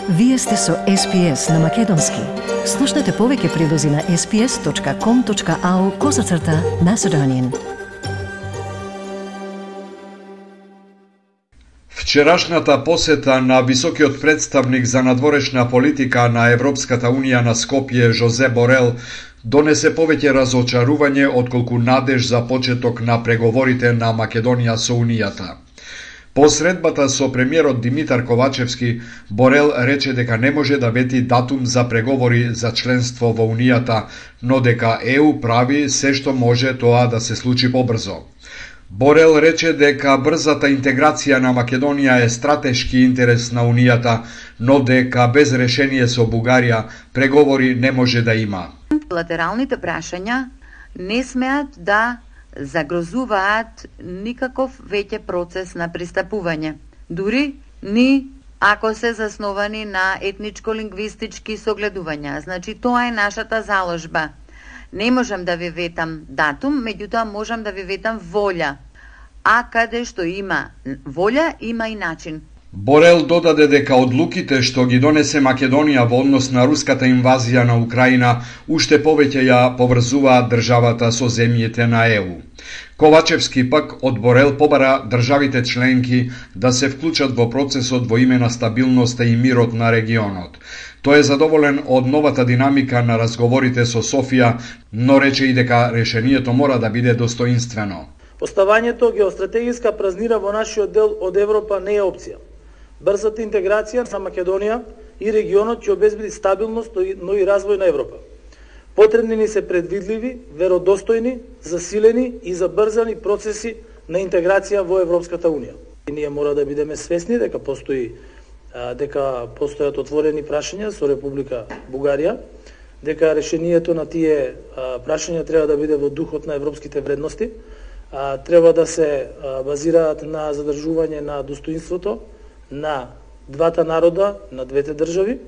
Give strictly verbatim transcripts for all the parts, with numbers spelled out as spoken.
Вие сте со Ес Би Ес на Македонски. Слушнете повеќе прилози на ес би ес точка ком точка ау козацрта Macedonian. Вчерашната посета на високиот представник за надворешна политика на Европската Унија на Скопје Жозе Борел донесе повеќе разочарување отколку надеж за почеток на преговорите на Македонија со Унијата. По средбата со премиерот Димитар Ковачевски, Борел рече дека не може да вети датум за преговори за членство во Унијата, но дека Е У прави се што може тоа да се случи побрзо. Борел рече дека брзата интеграција на Македонија е стратешки интерес на Унијата, но дека без решение со Бугарија преговори не може да има. Латералните прашања не смеат да загрозуваат никаков веќе процес на пристапување. Дури ни ако се засновани на етничко-лингвистички согледувања. Значи, тоа е нашата заложба. Не можам да ви ветам датум, меѓутоа можам да ви ветам волја. А каде што има волја, има и начин. Борел додаде дека одлуките што ги донесе Македонија во однос на руската инвазија на Украина уште повеќе ја поврзуваат државата со земјите на Е У. Ковачевски пак од Борел побара државите членки да се вклучат во процесот во име на стабилноста и мирот на регионот. Тој е задоволен од новата динамика на разговорите со Софија, но рече и дека решението мора да биде достоинствено. Поставањето геостратегиска празнина во нашиот дел од Европа не е опција. Брзата интеграција на Македонија и регионот ќе обезбеди стабилност, но и развој на Европа. Потребни ни се предвидливи, веродостојни, засилени и забрзани процеси на интеграција во Европската Унија. И ние мора да бидеме свесни дека постои дека постојат отворени прашања со Република Бугарија, дека решението на тие прашања треба да биде во духот на европските вредности, треба да се базираат на задржување на достоинството на двата народа, на двете држави,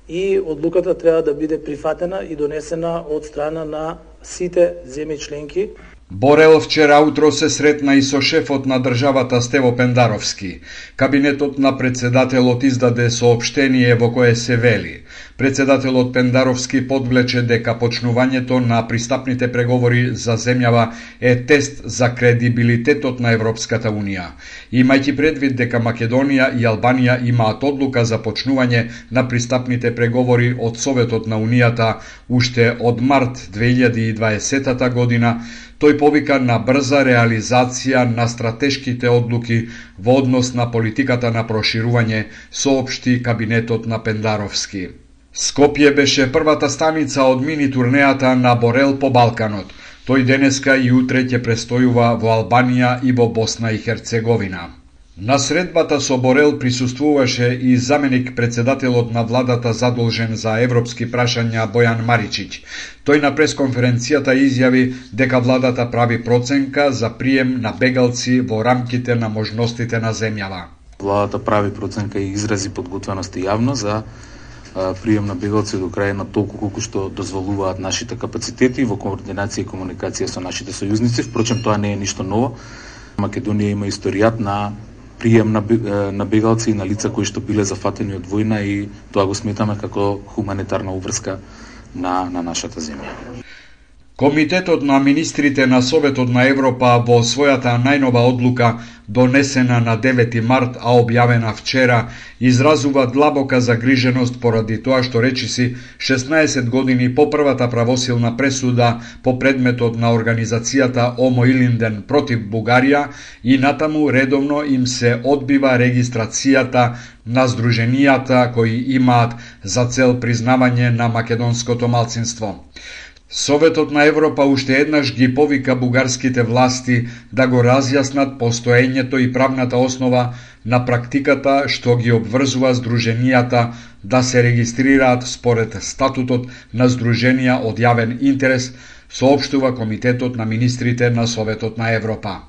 и одлуката треба да биде прифатена и донесена од страна на сите земји членки. Борел вчера утро се сретна и со шефот на државата Стево Пендаровски. Кабинетот на председателот издаде соопштение во кое се вели: председателот Пендаровски подвлече дека почнувањето на пристапните преговори за земјава е тест за кредибилитетот на Европската Унија. Имајќи предвид дека Македонија и Албанија имаат одлука за почнување на пристапните преговори од Советот на Унијата уште од март две илјади и дваесета година, тој повика на брза реализација на стратешките одлуки во однос на политиката на проширување, соопшти кабинетот на Пендаровски. Скопје беше првата станица од мини турнејата на Борел по Балканот. Тој денеска и утре ќе престојува во Албанија и во Босна и Херцеговина. На средбата со Борел присуствуваше и заменик председателот на владата задолжен за европски прашања Бојан Маричиќ. Тој на пресконференцијата изјави дека владата прави проценка за прием на бегалци во рамките на можностите на земјава. Владата прави проценка и изрази подготвеност и јавно за прием на бегалци од Украина толку колку што дозволуваат нашите капацитети во координација и комуникација со нашите сојузници. Впрочем, тоа не е ништо ново. Македонија има историјат на прием на, на бегалци и на лица кои што биле зафатени од војна, и тоа го сметаме како хуманитарна уврска на, на нашата земја. Комитетот на министрите на Советот на Европа во својата најнова одлука, донесена на девети март, а објавена вчера, изразува длабока загриженост поради тоа што речиси шеснаесет години по првата правосилна пресуда по предметот на организацијата Омо Илинден против Бугарија и натаму редовно им се одбива регистрацијата на здруженијата кои имаат за цел признавање на македонското малцинство. Советот на Европа уште еднаш ги повика бугарските власти да го разјаснат постоењето и правната основа на практиката што ги обврзува здруженијата да се регистрираат според статутот на здруженија од јавен интерес, соопштува Комитетот на министрите на Советот на Европа.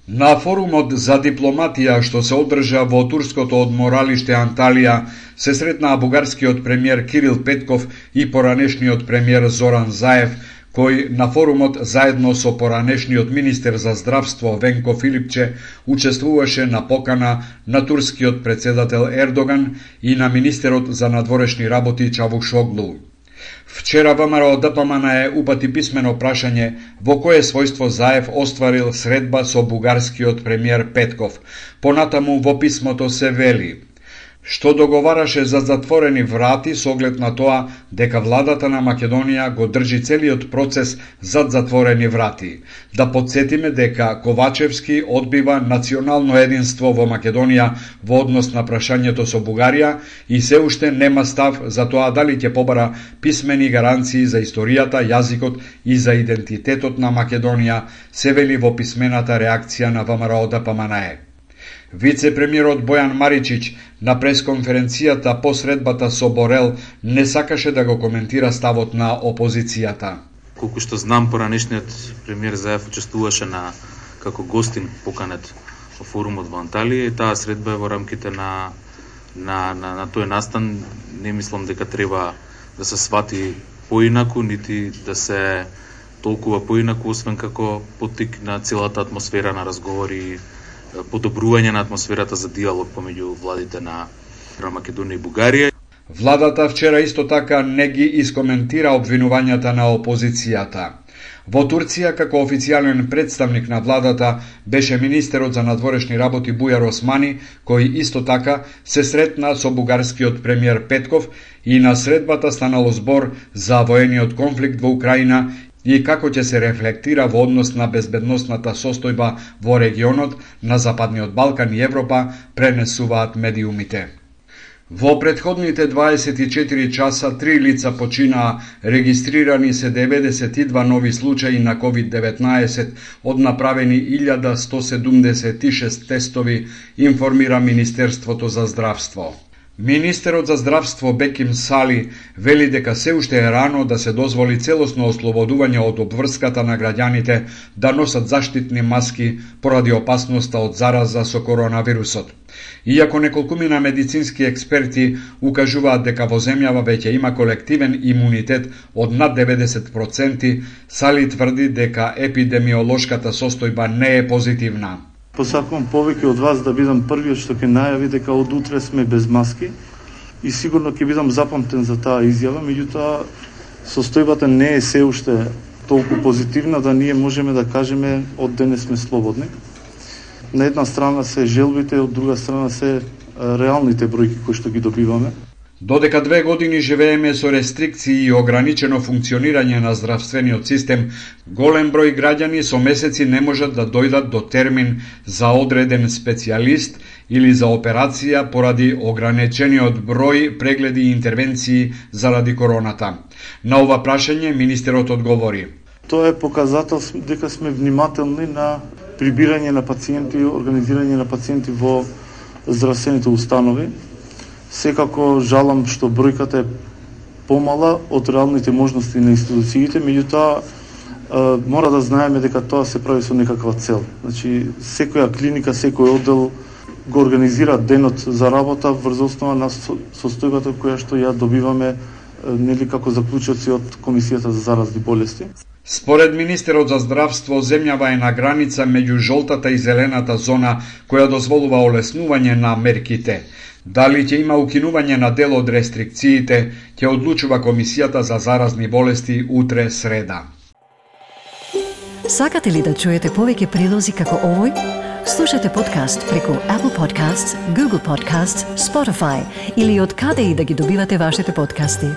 На форумот за дипломатија што се одржа во турското одморалиште Анталија се сретнаа бугарскиот премиер Кирил Петков и поранешниот премиер Зоран Заев, кој на форумот заедно со поранешниот министер за здравство Венко Филипче учествуваше на покана на турскиот председател Ердоган и на министерот за надворешни работи Чавушоглу. Вчера ВМРО Д П М Н Е упати писмено прашање во кое својство Заев остварил средба со бугарскиот премиер Петков. Понатаму во писмото се вели што договараше за затворени врати со оглед на тоа дека владата на Македонија го држи целиот процес зад затворени врати. Да подсетиме дека Ковачевски одбива национално единство во Македонија во однос на прашањето со Бугарија и се уште нема став за тоа дали ќе побара писмени гаранции за историјата, јазикот и за идентитетот на Македонија, се вели во писмената реакција на ВМРО Д П М Н Е. Вице-премиерот Бојан Маричич на пресконференцијата по средбата со Борел не сакаше да го коментира ставот на опозицијата. Колку што знам, поранешниот премиер Заев учествуваше на како гостин поканет во форумот во Анталија и таа средба е во рамките на на на, на тој настан. Не мислам дека треба да се свати поинаку, нити да се толкува поинаку, освен како поттик на целата атмосфера на разговори, подобрување на атмосферата за диалог помеѓу владите на Македонија и Бугарија. Владата вчера исто така не ги искоментира обвинувањата на опозицијата. Во Турција, како официјален представник на владата, беше министерот за надворешни работи Бујар Османи, кој исто така се сретна со бугарскиот премиер Петков и на средбата станало збор за воениот конфликт во Украина и како ќе се рефлектира во однос на безбедносната состојба во регионот, на Западниот Балкан и Европа, пренесуваат медиумите. Во претходните дваесет и четири часа три лица починаа, регистрирани се деветдесет и два нови случаи на ковид деветнаесет, од направени илјада сто седумдесет и шест тестови, информира Министерството за здравство. Министерот за здравство Беким Сали вели дека се уште е рано да се дозволи целосно ослободување од обврската на граѓаните да носат заштитни маски поради опасноста од зараза со коронавирусот. Иако неколкумина медицински експерти укажуваат дека во земјава веќе има колективен имунитет од над деветдесет проценти, Сали тврди дека епидемиолошката состојба не е позитивна. Посакувам повеќе од вас да бидам првиот што ќе најави дека од утре сме без маски и сигурно ќе бидам запамтен за таа изјава, меѓутоа состојбата не е се уште толку позитивна да ние можеме да кажеме од денес сме слободни. На една страна се желбите, од друга страна се реалните бројки кои што ги добиваме. Додека две години живееме со рестрикции и ограничено функционирање на здравствениот систем, голем број граѓани со месеци не можат да дојдат до термин за одреден специјалист или за операција поради ограничениот број прегледи и интервенции заради короната. На ова прашање министерот одговори: Тоа е показател дека сме внимателни на прибирање на пациенти, организирање на пациенти во здравствените установи. Секако жалам што бројката е помала од реалните можности на институциите, меѓутоа мора да знаеме дека тоа се прави со некаква цел. Значи, секоја клиника, секој оддел го организира денот за работа врз основа на состојбата која што ја добиваме нели како заклучоци од Комисијата за заразни болести. Според министерот за здравство, земјава е на граница меѓу жолтата и зелената зона која дозволува олеснување на мерките. Дали ќе има укинување на дел од рестрикциите, ќе одлучува Комисијата за заразни болести утре среда. Сакате ли да чуете повеќе прилози како овој? Слушате подкаст преку Apple Podcasts, Google Podcasts, Spotify или од каде и да ги добивате вашите подкасти.